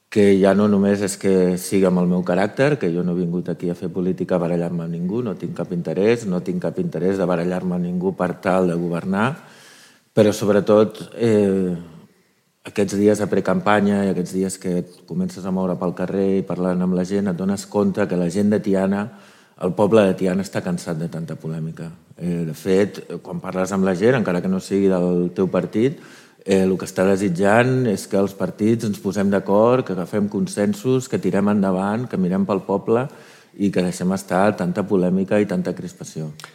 que ja no només és que sigui amb el meu caràcter, que jo no he vingut aquí a fer política a barallar-me amb ningú, no tinc cap interès de barallar-me amb ningú per tal de governar, però sobretot aquests dies de precampanya i aquests dies que et comences a moure pel carrer i parlant amb la gent, et dones compte que la gent de Tiana, el poble de Tiana està cansat de tanta polèmica. De fet, quan parles amb la gent, encara que no sigui del teu partit, el que està desitjant és que els partits ens posem d'acord, que agafem consensos, que tirem endavant, que mirem pel poble i que deixem estar tanta polèmica i tanta crispació.